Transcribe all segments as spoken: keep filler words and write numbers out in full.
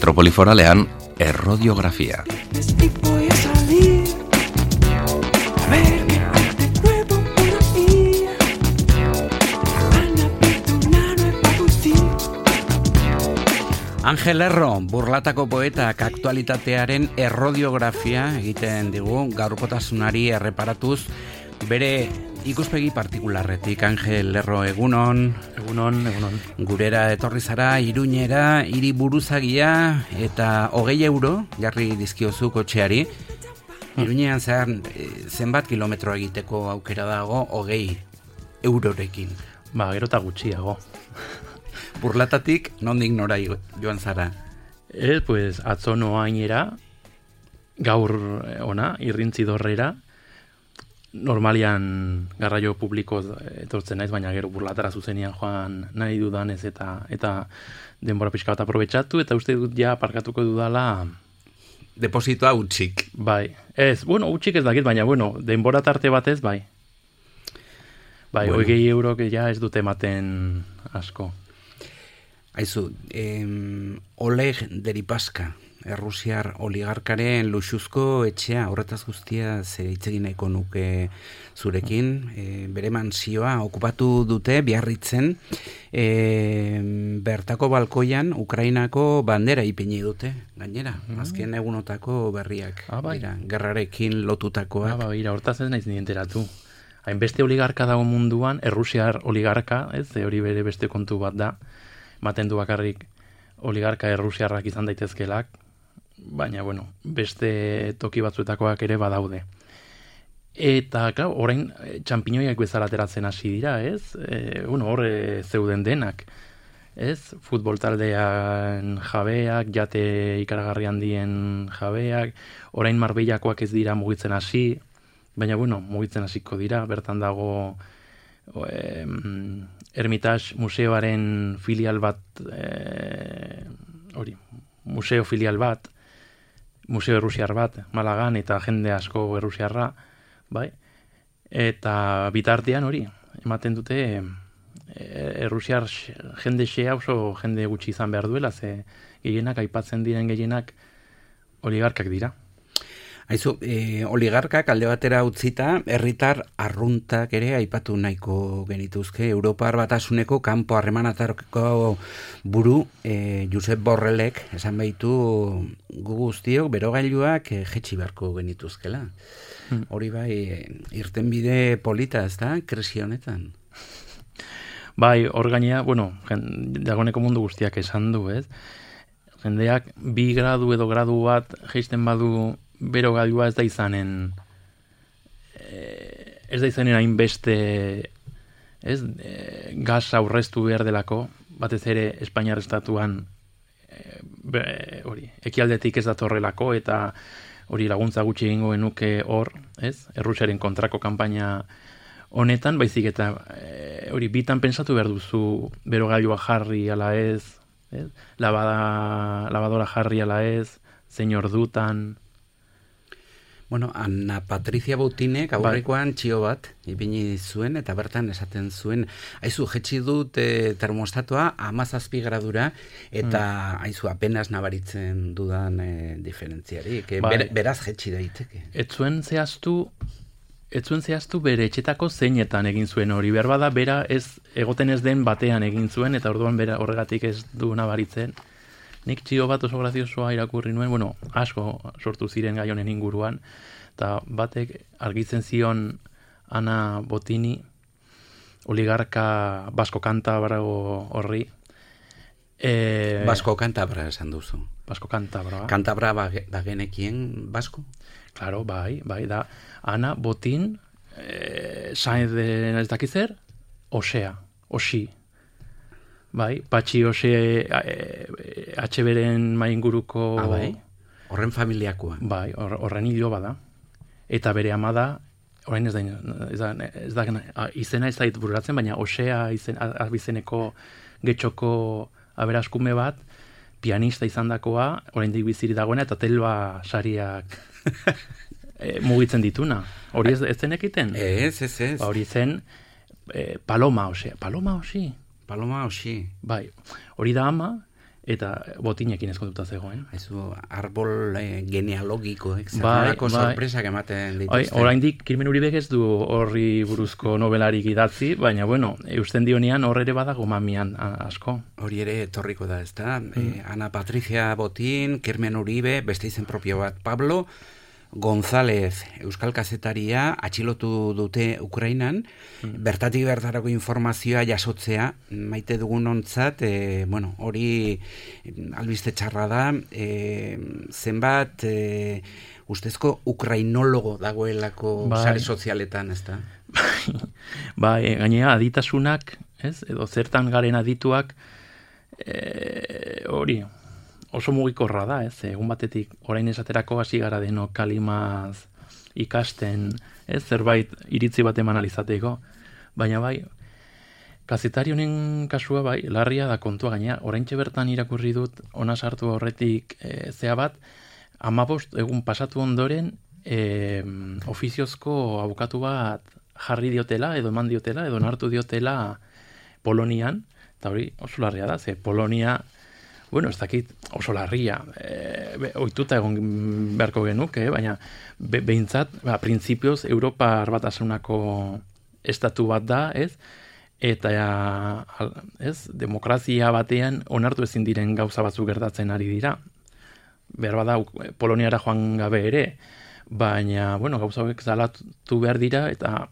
Metropoli Foralean errodiografia. Angel Erro, burlatako poetak aktualitatearen errodiografia egiten digu, gaurkotasunari erreparatuz, bere ikuspegi partikularretik. Angel Erro, egunon. Egunon, egunon. Gurera etorri zara, Iruñera, hiri buruzagia, eta hogei euro, jarri dizkiozu kotxeari. Iruñean zehar, zenbat kilometro egiteko aukera dago, hogei eurorekin. Ba, gero eta gutxiago. Burlatatik, nondik nora joan zara? Ez, pues, atzo noainera, gaur ona, irrintzi dorrera, normalian garraio publiko etortzen naiz, baina gero burlatara zuzenian joan nahi dudanez eta eta denbora pixka bat aprobetxatu, eta uste dut ja parkatuko dudala... Depositoa utxik. Bai, ez, bueno, utxik ez dakit, baina, bueno, denbora tarte batez, bai. Bai, bueno. Hogei euro ja ez dute ematen asko. Aizu, em, Oleg Deripaska, errusiar oligarkaren luxuzko etxea, horretaz guztia ze hitz egin nahiko nuke zurekin, e, bere mansioa okupatu dute Biarritzen, e, bertako balkoian Ukrainako bandera ipini dute, gainera, mm. azken egunotako berriak, ah, bai. dira, gerrarekin lotutakoak. Ah, bai, hortaz ez naiz ni enteratu. Hainbeste oligarka dago munduan, errusiar oligarka, ez, hori bere beste kontu bat da, ematen du bakarrik oligarka errusiarrak izan daitezkelak, baina, bueno, beste toki batzuetakoak ere badaude. Eta, klar, orain txampinoiak bezala ateratzen hasi dira, ez? E, bueno, hor zeuden denak, ez? Futbol taldean jabeak, jate ikaragarri handien jabeak, orain Marbeillakoak ez dira mugitzen hasi, baina, bueno, mugitzen hasiko dira, bertan dago... E, Hermitage museoaren filial bat, e, hori, museo filial bat, museo errusiar bat, Malagan, eta jende asko errusiarra, bai, eta bitartean hori, ematen dute, e, errusiar jende xea oso jende gutxi izan behar duela, ze gehienak, aipatzen diren gehienak, oligarkak dira. Aizu, e, oligarkak alde batera utzita, herritar arruntak ere aipatu nahiko genituzke. Europar Batasuneko kanpo harremanatarko buru, e, Josep Borrellek, esan baitu gu guztiok, berogailuak e, jetxi beharko genituzkela. Hmm. Hori bai, irtenbide polita, ez da, krisi honetan? Bai, hor gainea, bueno, dagoneko mundu guztiak esan du, ez? Jendeak bi gradu edo gradu bat jeisten badu bero gailua ez da izanen ez da izanen hainbeste ez e, gas aurreztu behar delako, batez ere Espainiar estatuan e, be, hori, ekialdetik ez datorrelako eta hori laguntza gutxi egingo genuke hor, ez? Errusiaren kontrako kanpaina honetan, baizik eta e, hori bitan pentsatu behar duzu bero gailua jarri ala ez, ez? Labada, lavadora jarri ala ez, zein ordutan. Bueno, Ana Patricia Boutinek aurrekoan txio bat ipini zuen eta bertan esaten zuen, aizu, jetxi dut e, termostatoa hamazazpi gradura eta mm. aizu, apenas nabaritzen dudan e, diferentziari, que bai. ber, beraz jetxi daiteke. Ez zuen zehaztu, ez zuen zehaztu bere etxetako zeinetan egin zuen hori, behar bada bera ez egoten ez den batean egin zuen eta orduan bera horregatik ez du nabaritzen. Nik txio bat oso graziosoa irakurri nuen, bueno, asko sortu ziren gai honen inguruan, eta batek argitzen zion Ana Botini, oligarka Basko Kantabra horri. E... Basko Kantabra esan duzu. Basko Kantabra. Kantabra bagenekien Basko? Claro, bai, bai, da. Ana Botin, e, Sainz de ez dakizer, Osea, Osi. Bai, Patxi Ose H B-ren mainguruko... Ah, bai? Horren familiakoa. Bai, or, horren hilo bada. Eta bere ama da, orain ez da, ez da, ez da izena ez da bururatzen, baina Osea izen, abizeneko getxoko aberaskume bat, pianista izandakoa, oraindik biziri dagoena, eta telba sariak e, mugitzen dituna. Hori ez, ez zenekiten? Ez, ez, ez. Ba, hori zen e, Paloma Osea. Paloma Osi? Paloma Osi. Bai, hori da ama, eta botinekin ezkontuta zegoen. Haizu, arbol eh, genealogiko, eh? Bai, Zerrelako bai. sorpresak ematen dituzte. Bai, oraindik Kirmen Uribek ez du horri buruzko nobelarik idatzi, baina bueno, eusten dionean hor ere badago mamian a- asko. Hori ere etorriko da, ezta? Eh, Ana Patricia Botin, Kirmen Uribe, beste izen propio bat, Pablo González, euskal kazetaria, atxilotu dute Ukrainan, bertatik bertarako informazioa jasotzea, maite dugun ontzat, e, bueno, hori albiste txarra da, e, zenbat e, ustezko ukrainologo dagoelako Bai. sare sozialetan, ezta? Ba, e, gainera aditasunak, ez? Edo zertan garen adituak, e, hori, oso mugikorra da, ez? Egun batetik, orain esaterako hasi gara denok kalimaz ikasten, ez? Zerbait iritzi bat eman alizateko. Baina bai, kazetari honen kasua bai, larria da kontua gainera. Oraintxe bertan irakurri dut, ona sartu horretik e, zea bat, hamabost egun pasatu ondoren, e, ofiziozko abokatu bat jarri diotela, edo eman diotela, edo onartu diotela Polonian, eta hori oso larria da, ze Polonia, bueno, ez dakit oso larria, e, be, ohituta egon beharko genuke, eh? Baina be, behintzat, ba, printzipioz, Europa Batasunako estatu bat da, ez? Eta al, ez, demokrazia batean onartu ezin diren gauza batzuk gertatzen ari dira. Behar bada Poloniara joan gabe ere, baina, bueno, gauza hauek zalatu behar dira, eta,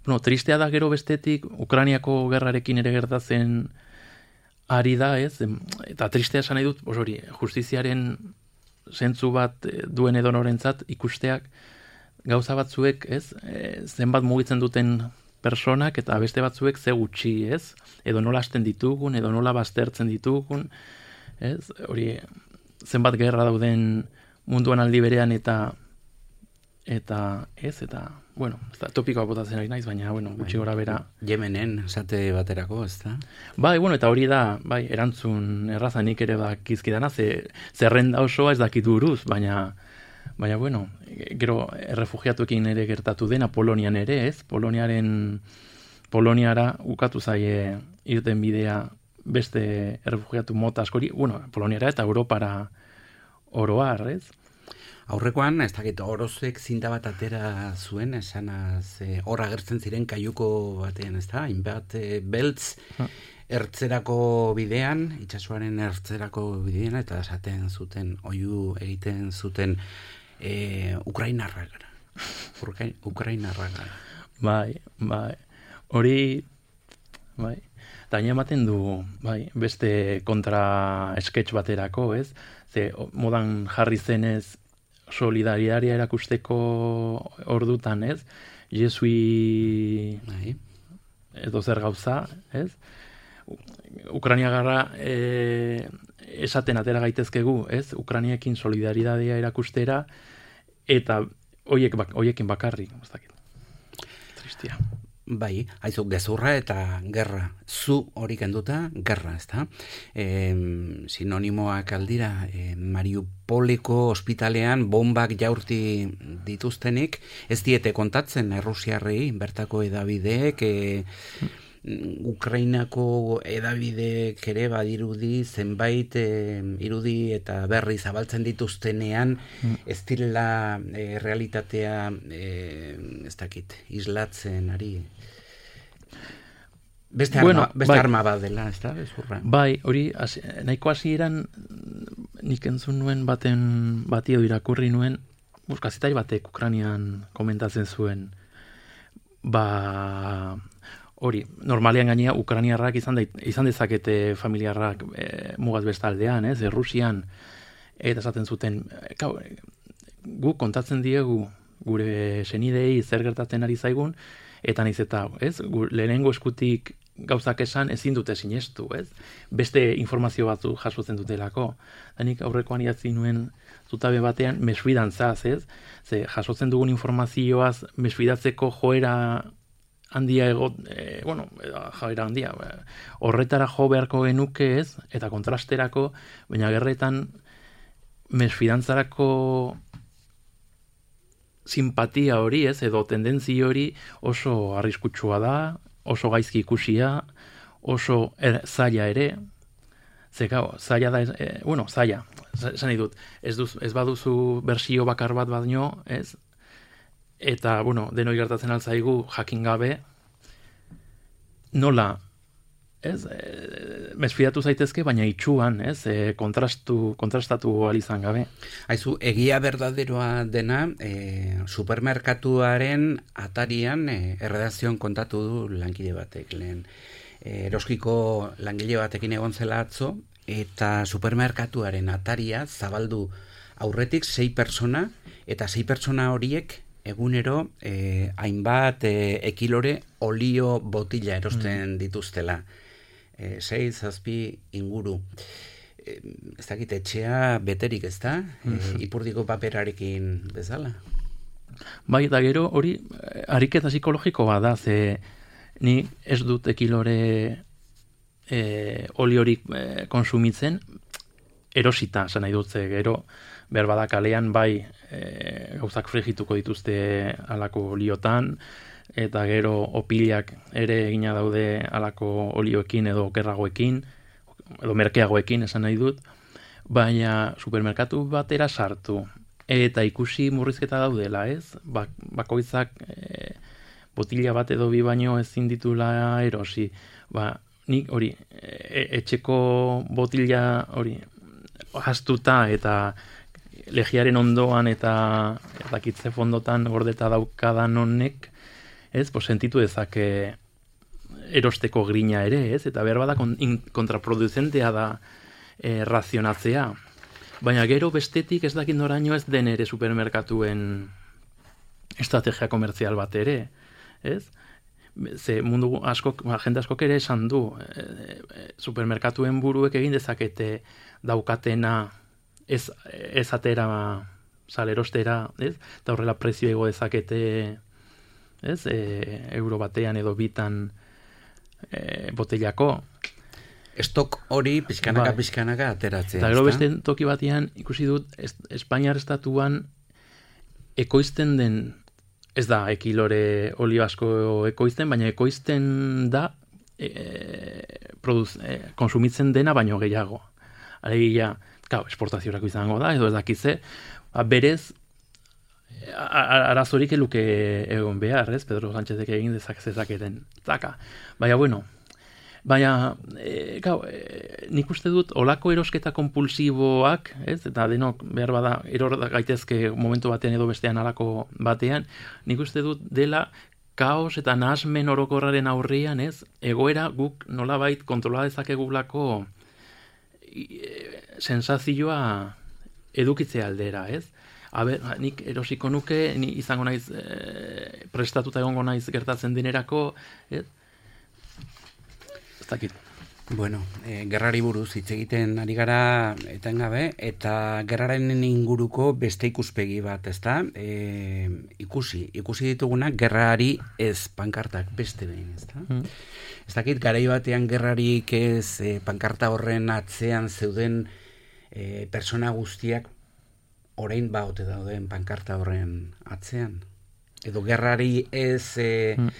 bueno, tristea da gero bestetik, Ukrainiako gerrarekin ere gertatzen ari da, ez? Eta tristea esan nahi dut, bos hori, justiziaren zentzu bat duen edonorentzat ikusteak gauza batzuek, ez? E, zenbat mugitzen duten personak eta beste batzuek ze gutxi, ez? Edo nola hasten ditugun, edo nola baztertzen ditugun, ez? Hori, zenbat gerra dauden munduan aldi berean eta eta ez, eta, bueno, ez da, topikoa botatzen ari naiz, baina, bueno, gutxi gora bera. Yemenen, esate baterako, ez da? Bai, bueno, eta hori da, bai, erantzun erraza nik ere bakizkidana, ze, zerrenda osoa ez dakit buruz, baina, baina, bueno, gero errefugiatuekin ere gertatu dena, Polonian ere, ez? Poloniaren, Poloniara ukatu zaie irten bidea beste errefugiatu mota askori, bueno, Poloniara eta Europara oroar, ez? Aurrekoan, ez dakit, orozek zinta bat atera zuen, esanaz, e, hor agertzen ziren kaiuko batean, ez da? Hainbat e, beltz ertzerako bidean, itsasoaren ertzerako bidean, eta esaten zuten, oihu egiten zuten e, Ukrainarrak gara. Ukrainarrak gara. Bai, bai. Hori, bai. Eta ematen du, bai, beste kontra sketch baterako, ez? Ze modan jarri zenez solidaria erakusteko ordutan, ez? Jesui Bai. edo zer gauza, ez? Ukraina gara e, esaten atera gaitezkegu, ez? Ukrainekin solidaridadea erakustera eta hoiek bak, hoiekin bakarrik, ez dakit. Tristia. Bai, haizu, gezurra eta gerra. Zu hori kenduta, gerra, ez da? E, sinonimoak aldira, e, Mariupoliko ospitalean bombak jaurti dituztenik, ez diete kontatzen Errusiarrei, bertako edabideek, e, Ukrainako edabideek ere badirudi zenbait e, irudi eta berri zabaltzen dituztenean mm. ez direla e, realitatea e, ez dakit, islatzen ari. Beste arma, bueno, beste bai. arma bat dela, ez da, bezurra. Bai, hori, az, nahiko hasieran nik entzun nuen baten bati edo irakurri nuen, kazetari batek Ukrainian komentatzen zuen, ba, hori, normalean gainea Ukrainiarrak izan, da, izan dezakete familiarrak e, mugaz bestaldean, ez, Errusian, eta esaten zuten, kau, gu kontatzen diegu gure senidei zer gertatzen ari zaigun, eta naiz eta, ez, gu, lehenengo eskutik gauzak esan ezin dute sinestu, ez? Beste informazio batzu jasotzen dutelako. Danik aurrekoan idatzi nuen zutabe batean mesfidantzaz, ez? Ze jasotzen dugun informazioaz mesfidatzeko joera handia egot, e, bueno, joera handia, horretara jo beharko genuke, ez? Eta kontrasterako, baina gerretan mesfidantzarako simpatia hori, ez? Edo tendentzi hori oso arriskutsua da, oso gaizki ikusia, oso er, zaila ere, Ze gau, zaila da, e, bueno, zaila, esan nahi dut, ez, duz, ez baduzu bersio bakar bat baino, ez? Eta, bueno, denoi gertatzen altzaigu jakin gabe, nola, ez, e, mesfidatu zaitezke, baina itxuan, ez, e, kontrastu, kontrastatu ahal izan gabe. Haizu, egia berdaderoa dena, e, supermerkatuaren atarian e, erredazioan kontatu du lankide batek lehen. E, eroskiko langile batekin egon zela atzo, eta supermerkatuaren ataria zabaldu aurretik sei pertsona, eta sei pertsona horiek egunero eh, hainbat eh, ekilore olio botila erosten mm. dituztela. Eh, sei, zazpi inguru. Eh, ez dakit, etxea beterik ez da, mm. eh, ipurdiko paperarekin bezala. Bai, eta gero hori ariketa psikologiko bada, ze ni ez dut ekilore e, oliorik e, konsumitzen, erosita, zan nahi dut, ze gero behar bada kalean bai e, gauzak frigituko dituzte alako oliotan, eta gero opilak ere egina daude alako olioekin edo okerragoekin, edo merkeagoekin esan nahi dut, baina supermerkatu batera sartu, eta ikusi murrizketa daudela, ez? Bak, bakoitzak e, botila bat edo bi baino ezin ditula erosi. Ba, nik hori, e, etxeko botila hori hastuta eta legiaren ondoan eta dakitze fondotan gordeta daukadan honek, ez, pues, sentitu dezake erosteko grina ere, ez, eta behar bada kontraproduzentea da e, razionatzea. Baina gero bestetik ez dakit noraino ez den ere supermerkatuen estrategia komertzial bat ere, ez? Ze mundu askok, jende askok ere esan du, e, e, supermerkatuen buruek egin dezakete daukatena ez, ez atera salerostera, ez? Eta horrela prezio ego dezakete, ez? E, euro batean edo bitan e, botellako. Estok hori pizkanaka bai. pizkanaka ateratzea. Eta gero beste toki batean ikusi dut es, Espainiar estatuan ekoizten den, ez da ekilore olio asko ekoizten, baina ekoizten da e, produz, e, konsumitzen dena baino gehiago. Alegia, claro, esportaziorako izango da, edo ez dakize, ba, berez arazorik eluke egon behar, ez? Pedro Sánchezek egin dezak zezaketen. Zaka. Baina, bueno, baina, e, gau, e, nik uste dut olako erosketa kompulsiboak, ez? Eta denok behar bada eror gaitezke momentu batean edo bestean alako batean, nik uste dut dela kaos eta nahasmen orokorraren aurrian, ez? Egoera guk nolabait kontrola dezakegulako e, sensazioa edukitze aldera, ez? Aber, nik erosiko nuke, ni izango naiz e, prestatuta egongo naiz gertatzen denerako, ez? Bueno, e, gerrari buruz hitz egiten ari gara etengabe, eta gerraren inguruko beste ikuspegi bat, ezta? E, ikusi, ikusi ditugunak gerrari ez pankartak beste behin, ezta? Mm. Ez dakit, garai batean gerrarik ez e, pankarta horren atzean zeuden e, persona guztiak orain baote dauden pankarta horren atzean. Edo gerrari ez e, mm.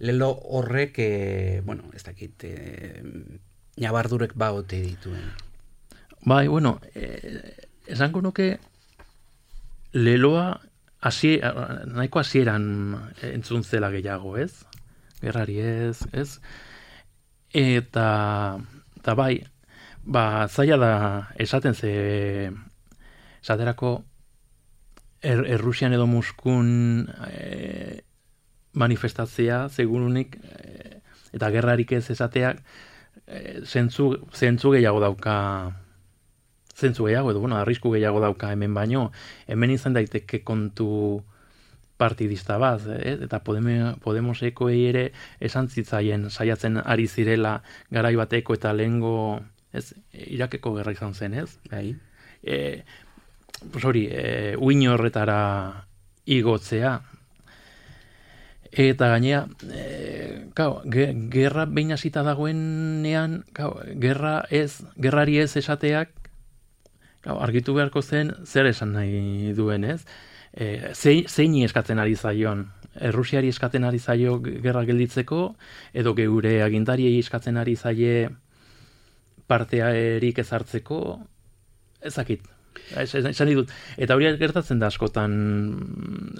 lelo horrek, e, bueno, ez dakit, e, nabardurek baote dituen. Bai, bueno, e, esango nuke leloa hasi, nahiko hasieran entzun zela gehiago, ez? Gerrari ez, ez? Eta, eta bai, ba, zaila da esaten ze, esaterako er, Errusian edo Moskun e, manifestatzea, segurunik, e, eta gerrarik ez esateak, e, zentzu, zentzu gehiago dauka, zentzu gehiago, edo, bueno, arrisku gehiago dauka hemen baino, hemen izan daiteke kontu partidista bat, eh? Eta Podeme, Podemoseko ere esan zitzaien saiatzen ari zirela garai bateko eta lehengo, ez, Irakeko gerra izan zen, ez? Bai. E, pues hori, e, uin horretara igotzea. Eta gainea, e, gau, ge, gerra behin hasita dagoenean, gau, gerra ez, gerrari ez esateak, gau, argitu beharko zen zer esan nahi duen, ez? E, zein, zeini eskatzen ari zaion, Errusiari eskatzen ari zaio gerra gelditzeko, edo geure agintariei eskatzen ari zaie partea erik ezartzeko, ezakit. Esan ditut. Eta hori gertatzen da askotan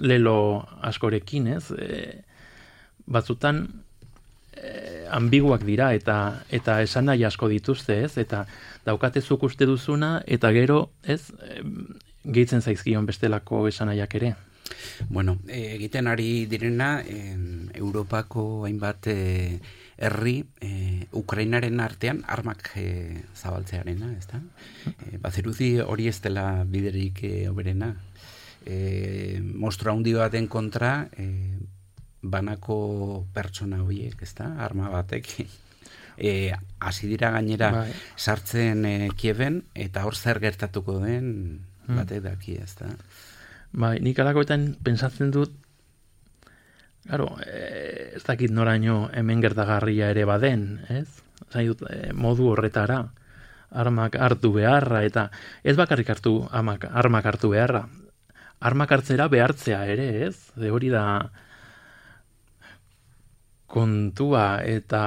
lelo askorekin, ez? E, batzutan e, ambiguak dira eta eta esan nahi asko dituzte, ez? Eta daukate zuk uste duzuna eta gero, ez? E, gehitzen zaizkion bestelako esanaiak ere. Bueno, egiten ari direna, en, Europako hainbat e, herri, e, Ukrainaren artean armak e, zabaltzearena, ez da? E, bazirudi hori ez dela biderik e, oberena. E, mostro handi baten kontra, e, banako pertsona horiek, ez da? Arma batek. E, hasi dira gainera bai. sartzen e, Kieven, eta hor zer gertatuko den batek daki, ez da? Bai, nik alakoetan pensatzen dut, claro, e, ez dakit noraino hemen gertagarria ere baden, ez? Zain dut, e, modu horretara, armak hartu beharra, eta ez bakarrik hartu amak, armak hartu beharra, armak hartzera behartzea ere, ez? De hori da kontua, eta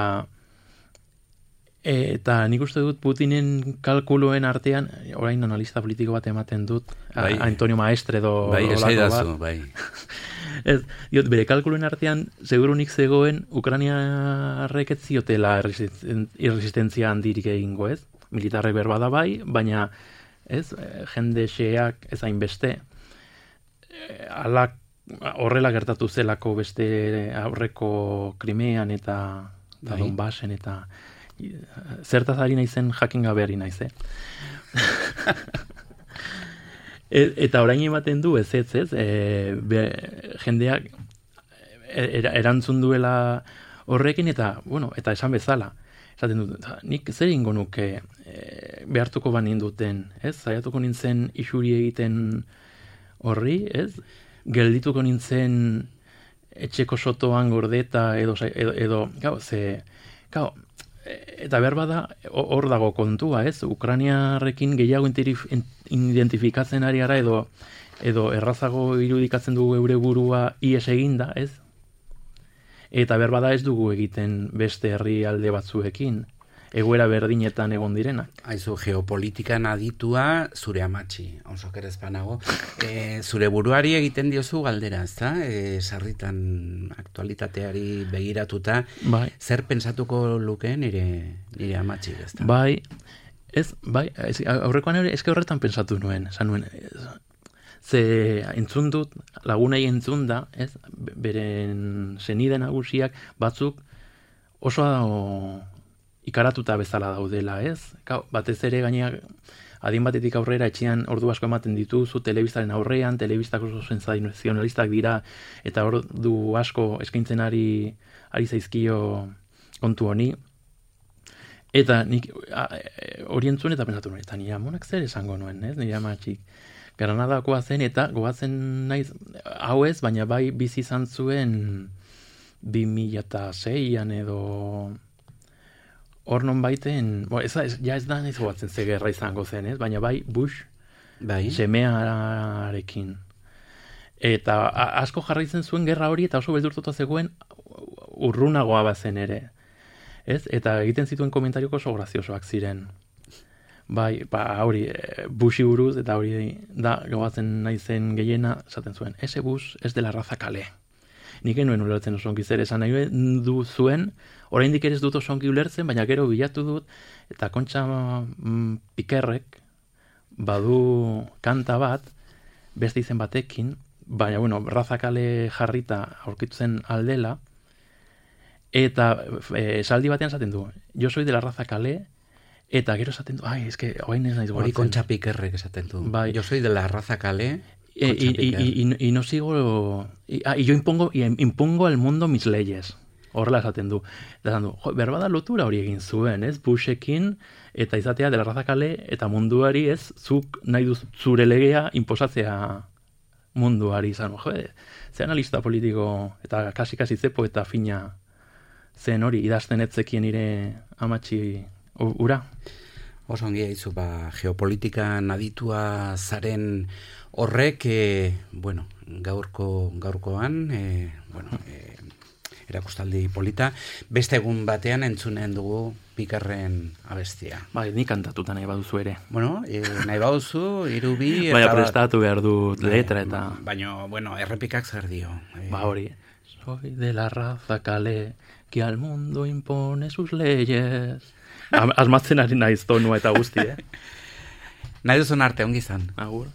eta nik uste dut Putinen kalkuluen artean, orain analista politiko bat ematen dut, bai. Antonio Maestre edo bai, esaidazu, bai. Ez, diot, bere kalkuluen artean, segurunik zegoen Ukrainiarrek ez ziotela irresistentzia handirik egingo, ez? Militarrek berbada bai, baina ez, jende xeak ez hainbeste. Alak horrela gertatu zelako beste aurreko Krimean eta bai. Donbasen eta zertaz ari naizen jakin gabe ari naiz, eh? Eta orain ematen du ez ez, ez? E, be, jendeak er, erantzun duela horrekin eta, bueno, eta esan bezala. Esaten dut, nik zer ingo nuke e, behartuko banin duten, ez? Zaiatuko nintzen isuri egiten horri, ez? Geldituko nintzen etxeko sotoan gordeta edo, edo, edo gau, ze, gau, eta behar bada, hor dago kontua, ez? Ukrainiarrekin gehiago identifikatzen ari gara edo, edo errazago irudikatzen dugu eure burua ies eginda, ez? Eta behar bada ez dugu egiten beste herrialde batzuekin, egoera berdinetan egon direnak. Aizu, geopolitikan aditua zure amatxi, oso kerez panago. E, zure buruari egiten diozu galdera, ez da? E, sarritan aktualitateari begiratuta, bai. Zer pentsatuko luke nire, nire amatxi, ez da? Bai, ez, bai, ez, aurrekoan ere, eske horretan pensatu nuen, esan nuen, ez, ze entzun dut, lagunei entzun da, ez, beren senide nagusiak batzuk oso ikaratuta bezala daudela, ez? Kau, batez ere gaineak adin batetik aurrera etxean ordu asko ematen dituzu telebistaren aurrean, telebistak oso sensazionalistak dira eta ordu asko eskaintzen ari ari zaizkio kontu honi. Eta nik hori entzun eta pensatu nuen, eta nire amonak zer esango nuen, ez? Nire amatxik Granadakoa zen eta goatzen naiz hau ez, baina bai bizi izan zuen bi mila seian edo hor non baiten, bo, ez, ez, ja ez da nahiz goatzen ze gerra izango zen, ez? Baina bai Bush bai. Semearekin. Eta a, asko jarraitzen zuen gerra hori eta oso beldurtuta zegoen urrunagoa bazen ere. Ez? Eta egiten zituen komentarioko oso graziosoak ziren. Bai, ba, hori, Bushi buruz, eta hori da, goatzen naizen gehiena, esaten zuen, ese Bush ez dela raza kale. Nik enuen ulertzen oso ongi zer esan nahi du zuen, oraindik ere ez dut oso ongi ulertzen, baina gero bilatu dut, eta Kontxa mm, Pikerrek badu kanta bat, beste izen batekin, baina, bueno, raza kale jarrita aurkitzen aldela, eta e, esaldi batean esaten du, jo soy de la raza kale, eta gero esaten du, ai, eske, oain ez naiz goratzen. Hori Kontxa Pikerrek esaten du, bai. Jo soy de la raza kale, y, y, y, y, y no sigo, y, ah, y yo impongo, y impongo al mundo mis leyes. Horrela esaten du. Eta du, jo, berbada lotura hori egin zuen, ez? Bushekin, eta izatea de la raza kale, eta munduari, ez? Zuk nahi duz zure legea inposatzea munduari izan. Jo, ze analista politiko, eta kasi-kasi zepo eta fina zen hori, idazten etzekien ire amatxi ura. Oso ongi haizu, ba, geopolitikan aditua zaren horrek, e, bueno, gaurko, gaurkoan, e, bueno, e, erakustaldi polita. Beste egun batean entzunen dugu Pikarren abestia. Bai, ni kantatuta nahi baduzu ere. Bueno, e, nahi baduzu, hiru bi... Baina prestatu behar dut letra eta... Baina, bueno, errepikak zer dio. E... Ba hori. Soy de la raza kale, que al mundo impone sus leyes. Asmatzen ari naiz tonua eta guzti, eh? Nahi duzun arte, ongi izan. Agur.